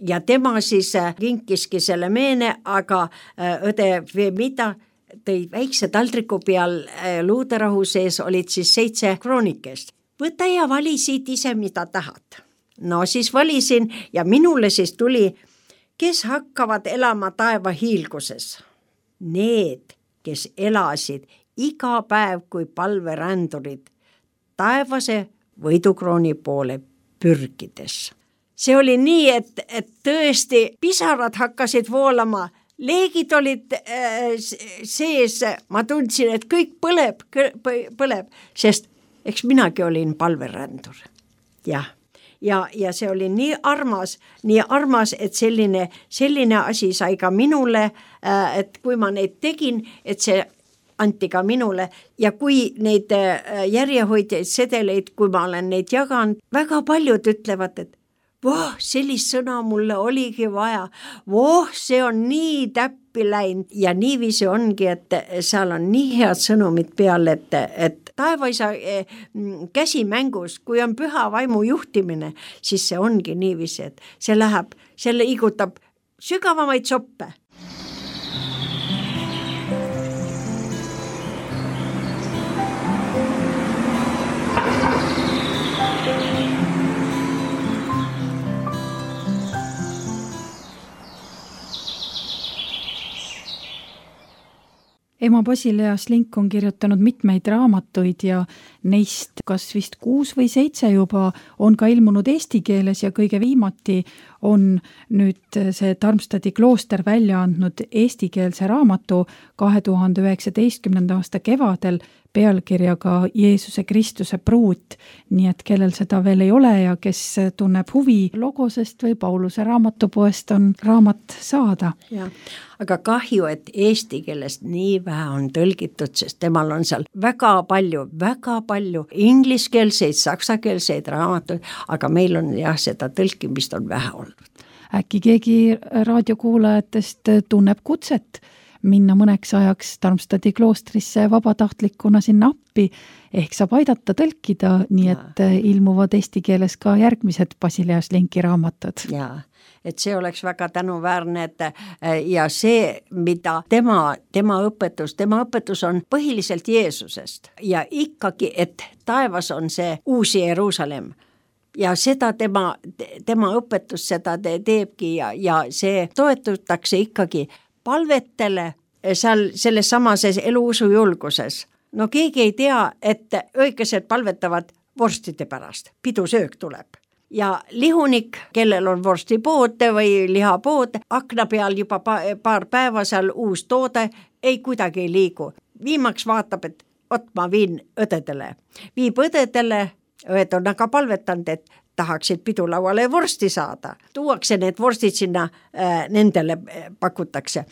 ja tema siis kinkiski selle meene, aga õde Femida tõi väikse taldriku peal luuderahu sees olid siis seitse kroonikest. Võta ja vali siit ise, mida tahad. No siis valisin ja minule siis tuli, kes hakkavad elama taeva hiilguses. Need, kes elasid iga päev kui palverändurid taevase võidukrooni poole pürgides. See oli nii, et, et tõesti pisarad hakkasid voolama, leegid olid äh, sees, ma tundsin, et kõik põleb, põleb, sest eks minagi olin palverändur. Jah. Ja, ja see oli nii armas, nii armas, et selline, selline asi sai ka minule, et kui ma neid tegin, et see anti ka minule ja kui neid järjehoidjaid sedeleid, kui ma olen neid jaganud, väga paljud ütlevad, et voh, sellist sõna mulle oligi vaja, voh, see on nii täppi läinud ja niiviisi ongi, et seal on nii head sõnumid peal, et, et taevaisa käsi mängus, kui on püha vaimu juhtimine, siis see ongi niiviisi, et see läheb, selle igutab sügavamaid soppe. Ema Basilea Šlink on kirjutanud mitmeid raamatuid ja neist kas vist kuus või seitse juba on ka ilmunud eesti keeles ja kõige viimati on nüüd see Tarmstadi klooster välja andnud eestikeelse raamatu kahe tuhande üheksateistkümnenda aasta kevadel pealkirjaga Jeesuse Kristuse pruut, nii et kellel seda veel ei ole ja kes tunneb huvi Logosest või Pauluse raamatupoest on raamat saada. Ja, aga kahju, et eesti keelest nii vähe on tõlgitud, sest temal on seal väga palju, väga palju ingliskeelseid, saksakeelseid raamatuid, aga meil on jah, seda tõlkimist on vähe olnud. Äkki keegi raadiokuulajatest tunneb kutset minna mõneks ajaks Tarmstadi kloostrisse vabatahtlikuna sinna appi, ehk saab aidata tõlkida, nii et ilmuvad eesti keeles ka järgmised Basilea Šlinki raamatud. Jaa, et see oleks väga tänuväärne, et ja see, mida tema, tema õpetus, tema õpetus on põhiliselt Jeesusest ja ikkagi, et taevas on see uus Jeruusalemm. Ja seda tema, tema õpetus seda te teebki ja, ja see toetutakse ikkagi palvetele seal selles samases eluusu julguses. No keegi ei tea, et õigesed palvetavad vorstide pärast, pidusöök tuleb. Ja lihunik, kellel on vorstipood või lihapood, akna peal juba paar päeva seal uus toode, ei kuidagi ei liigu. Viimaks vaatab, et ot ma viin õdedele. Viib õdedele, õed on aga palvetanud, et tahaksid pidulauale vorsti saada. Tuuakse need vorstid sinna, äh, nendele pakutakse.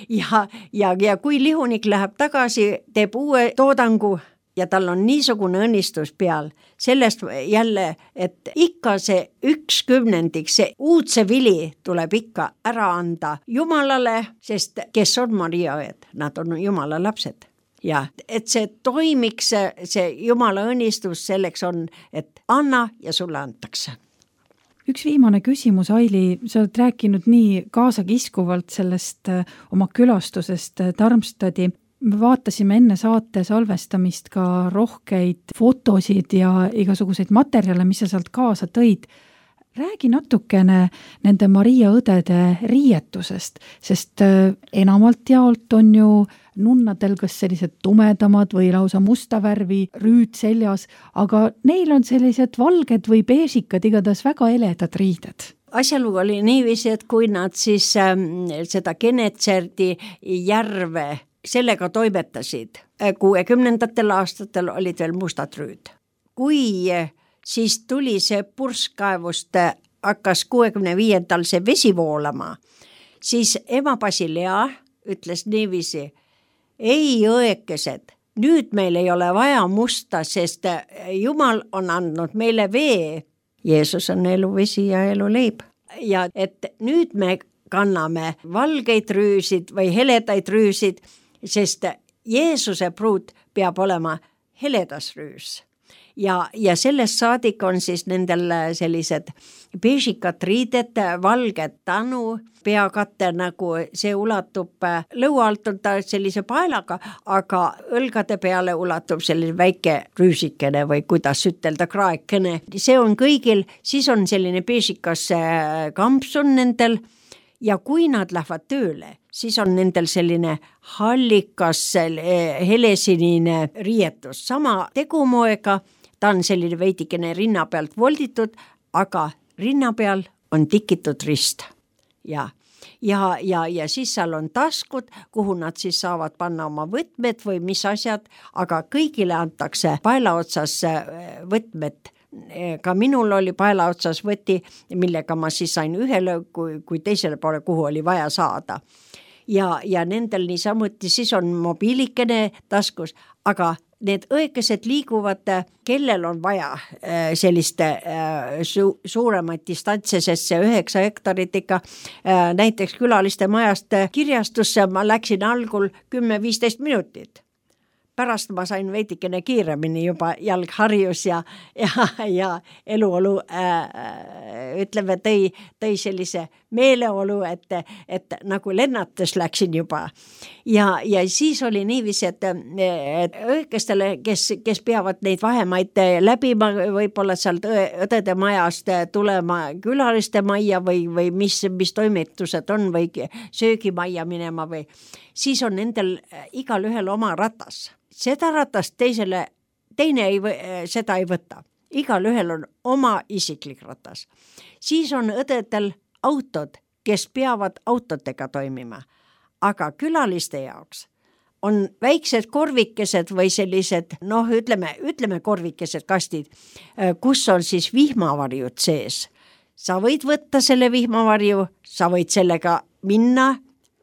ja, ja, ja kui lihunik läheb tagasi, teeb uue toodangu, ja tal on niisugune õnnistus peal, sellest jälle, et ikka see üks kümnendik, see uudse vili tuleb ikka ära anda Jumalale, sest kes on Maria õed, nad on Jumala lapsed. Ja et see toimiks, see Jumala õnnistus selleks on, et anna ja sulle antakse. Üks viimane küsimus, Aili, sa oled rääkinud nii kaasakiskuvalt sellest oma külastusest Darmstadi. Me vaatasime enne saate salvestamist ka rohkeid fotosid ja igasuguseid materjale, mis sa sealt kaasa tõid. Räägi natukene nende Maria õdede riietusest, sest enamalt jaolt on ju nunnadel kas sellised tumedamad või lausa musta värvi rüüd seljas, aga neil on sellised valged või beesikad, igatahes väga eledad riided. Asjalugu oli niiviisi, et kui nad siis ähm, seda Genetserdi järve sellega toimetasid, kuuekümnendatel aastatel olid veel mustad rüüd. Kui siis tuli see purskkaevust, hakkas kuuekümne viiendal see vesi voolama, siis ema Basilea ütles niiviisi, ei õekesed, nüüd meil ei ole vaja musta, sest Jumal on andnud meile vee. Jeesus on eluvesi ja eluleib. Ja et nüüd me kanname valgeid rüüsid või heledaid rüüsid, sest Jeesuse pruut peab olema heledas rüüs. Ja, ja sellest saadik on siis nendel sellised beesikad riided, valged tanu, peakatte nagu see ulatub lõua alt on ta sellise paelaga, aga õlgade peale ulatub selline väike rüüsikene või kuidas ütelda, kraekene. See on kõigil, siis on selline beesikas kampsun nendel ja kui nad lähevad tööle, siis on nendel selline hallikas helesinine riietus, sama tegumoega. Ta on selline veidikene rinna pealt volditud, aga rinna peal on tikitud rist. Ja, ja, ja, ja siis seal on taskud, kuhu nad siis saavad panna oma võtmed või mis asjad, aga kõigile antakse paela otsas võtmed. Ka minul oli paela otsas võti, millega ma siis sain ühele, kui, kui teisele poole, kuhu oli vaja saada. Ja, ja nendel niisamuti siis on mobiilikene taskus, aga need õekesed liiguvad, kellel on vaja selliste su- suuremaid distantse, sest see üheksa hektarit ikka näiteks külaliste majast kirjastusse ma läksin algul kümme viisteist minutit. Pärast ma sain veidikene kiiremini juba jalgharjus ja, ja, ja eluolu äh, ütleme, tõi, tõi sellise meeleolu, et, et nagu lennates läksin juba. Ja, ja siis oli niiviisi, et, et õigestele, kes, kes peavad neid vahemaid läbima, võib-olla sealt õdede majast tulema külaliste majja või, või mis, mis toimetused on või söögimajja minema või siis on nendel igal ühel oma ratas. Seda ratast teisele, teine ei, seda ei võta. Igal ühel on oma isiklik ratas. Siis on õdedel autod, kes peavad autodega toimima. Aga külaliste jaoks on väiksed korvikesed või sellised, noh, ütleme, ütleme korvikesed kastid, kus on siis vihmavarjud sees. Sa võid võtta selle vihmavarju, sa võid sellega minna,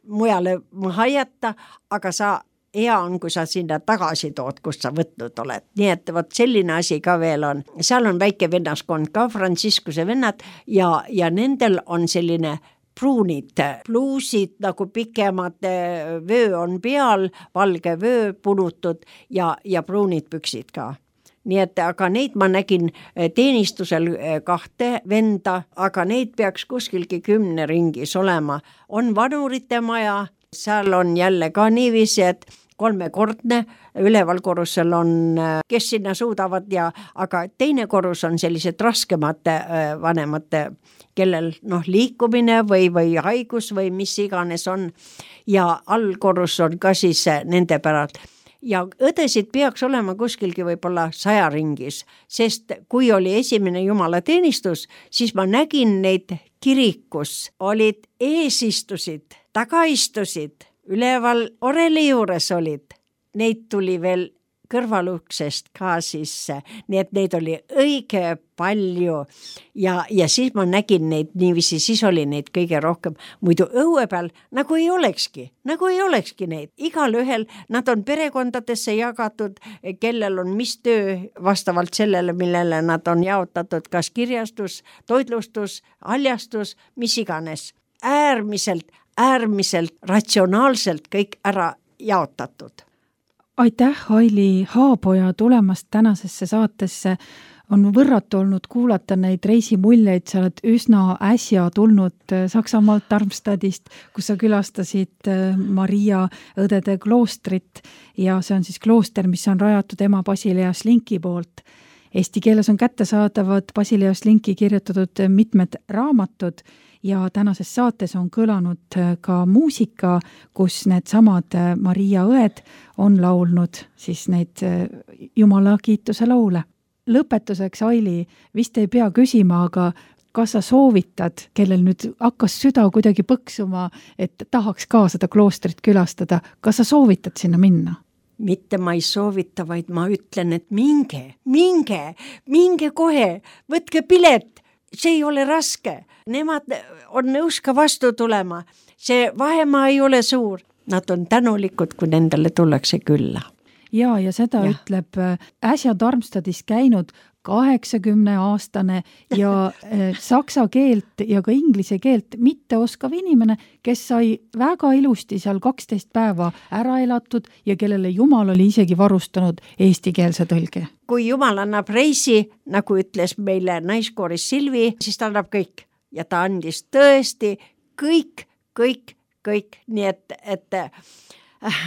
mujale maha jätta, aga sa hea on, kui sa sinna tagasi tood, kust sa võtnud oled. Nii et võt selline asi ka veel on. Seal on väike vennaskond ka, Franciscuse vennad ja, ja nendel on selline pruunid, pluusid nagu pikemad, vöö on peal, valge vöö punutud ja, ja pruunid püksid ka. Nii et aga neid ma nägin teenistusel kahte venda, aga neid peaks kuskilgi kümne ringis olema. On vanurite maja, seal on jälle ka niiviisi, et kolmekordne, üleval korrusel on, kes sinna suudavad ja, aga teine korrus on sellised raskemate vanemate, kellel noh, liikumine või, või haigus või mis iganes on ja allkorrus on ka siis nende päralt. Ja õdesid peaks olema kuskilgi võib-olla saja ringis, sest kui oli esimene jumalateenistus, siis ma nägin neid kirikus, olid eesistusid, tagaistusid, üleval oreli juures olid. Neid tuli veel kõrvaluksest ka sisse, nii et neid oli õige palju ja, ja siis ma nägin neid niiviisi, siis oli neid kõige rohkem, muidu õue peal nagu ei olekski, nagu ei olekski neid. Igal ühel nad on perekondadesse jagatud, kellel on mis töö vastavalt sellele, millele nad on jaotatud, kas kirjastus, toitlustus, haljastus, mis iganes. Äärmiselt, äärmiselt ratsionaalselt kõik ära jaotatud. Aitäh, Aili Haapoja, tulemast tänasesse saatesse. On võrratu olnud kuulata neid reisimuljeid, sa oled üsna äsja tulnud Saksamaalt Darmstadist, kus sa külastasid Maria õdede kloostrit ja see on siis klooster, mis on rajatud ema Basilea Slinki poolt. Eesti keeles on kättesaadavad Basilea Slinki kirjutatud mitmed raamatud ja tänases saates on kõlanud ka muusika, kus need samad Maria õed on laulnud siis neid Jumala kiituse laule. Lõpetuseks, Aili, vist ei pea küsima, aga kas sa soovitad, kellel nüüd hakkas süda kuidagi põksuma, et tahaks ka seda kloostrit külastada, kas sa soovitad sinna minna? Mitte ma ei soovita, vaid ma ütlen, et minge, minge, minge kohe, võtke pilet, see ei ole raske. Nemad on nõus ka vastu tulema, see vahemaa ei ole suur. Nad on tänulikud, kui nendele tullakse külla. Ja, ja seda ja. Ütleb äsja Darmstadis käinud kaheksakümne aastane ja saksa keelt ja ka inglise keelt mitte oskav inimene, kes sai väga ilusti seal kaksteist päeva ära elatud ja kellele Jumal oli isegi varustanud eestikeelse tõlge. Kui Jumal annab reisi, nagu ütles meile naiskooris Silvi, siis ta annab kõik. Ja ta andis tõesti kõik, kõik, kõik. Nii et, et äh,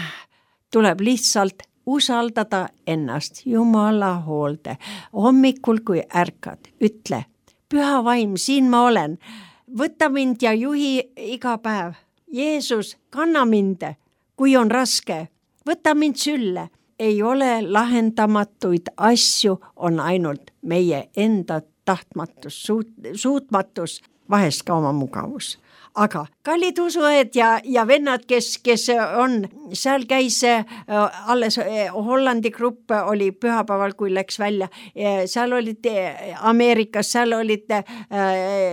tuleb lihtsalt usaldada ennast Jumala hoolde. Hommikul, kui ärkad, ütle, püha vaim, siin ma olen. Võta mind ja juhi iga päev. Jeesus, kanna mind, kui on raske. Võta mind sülle. Ei ole lahendamatuid asju, on ainult meie enda tahtmatus, suut, suutmatus, vahest ka oma mugavus. Aga kallid usuõed ja, ja vennad, kes, kes on, seal käis äh, alles äh, Hollandi grupp oli pühapäeval, kui läks välja. Äh, seal olid äh, Ameerikas, seal olid äh,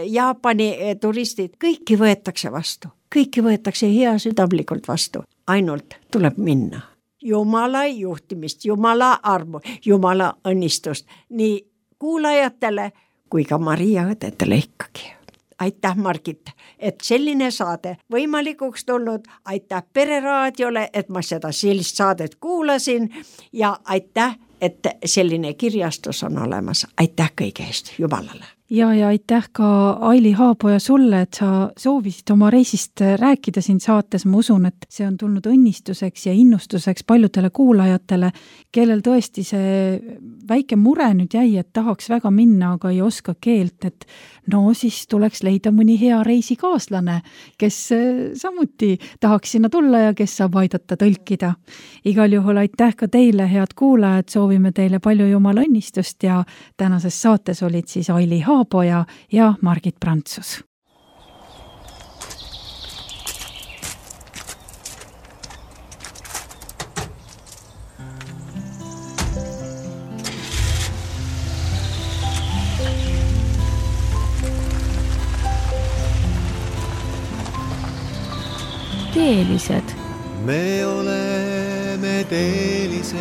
Jaapani äh, turistid. Kõiki võetakse vastu. Kõiki võetakse hea südamlikult vastu. Ainult tuleb minna. Jumala juhtimist, Jumala armu, Jumala õnnistust. Nii kuulajatele kui ka Maria õdedele ikkagi. Aitäh, Margit, et selline saade võimalikuks tulnud. Aitäh Pereraadiole, et ma seda sellist saadet kuulasin ja aitäh, et selline kirjastus on olemas. Aitäh kõige eest Jumalale. Ja, ja aitäh ka Aili Haapoja sulle, et sa soovisid oma reisist rääkida siin saates. Ma usun, et see on tulnud õnnistuseks ja innustuseks paljudele kuulajatele, kellel tõesti see väike mure nüüd jäi, et tahaks väga minna, aga ei oska keelt, et no siis tuleks leida mõni hea reisikaaslane, kes samuti tahaks sinna tulla ja kes saab aidata tõlkida. Igal juhul aitäh ka teile, head kuulajad, soovime teile palju Jumala õnnistust ja tänases saates olid siis Aili Haapoja ja Margit Prantsus. Teelised. Me oleme teelised,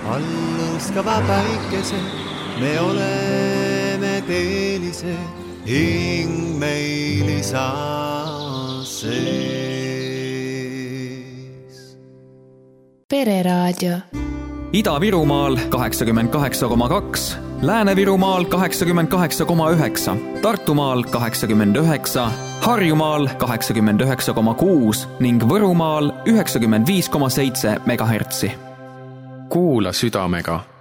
alluskava päikesed. Me oleme teelised, hing meil isaa sees. Pereraadio. Ida-Virumaal kaheksakümmend kaheksa koma kaks, Lääne-Virumaal kaheksakümmend kaheksa koma üheksa, Tartumaal kaheksakümmend üheksa, Harjumaal kaheksakümmend üheksa koma kuus ning Võrumaal üheksakümmend viis koma seitse megahertsi. Kuula südamega.